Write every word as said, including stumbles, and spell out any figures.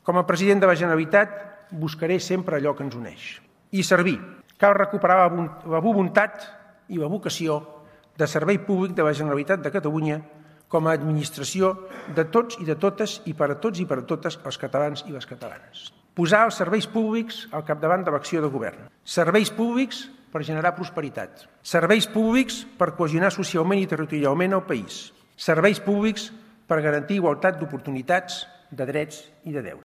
Com a president de la Generalitat buscaré sempre allò que ens uneix. I servir. Cal recuperar la voluntat i la vocació de servei públic de la Generalitat de Catalunya com a administració de tots i de totes i per a tots i per a totes els catalans i les catalanes. Posar els serveis públics al capdavant de l'acció de govern. Serveis públics per generar prosperitat. Serveis públics per cohesionar socialment i territorialment el país. Serveis públics per garantir igualtat d'oportunitats, de drets i de deures.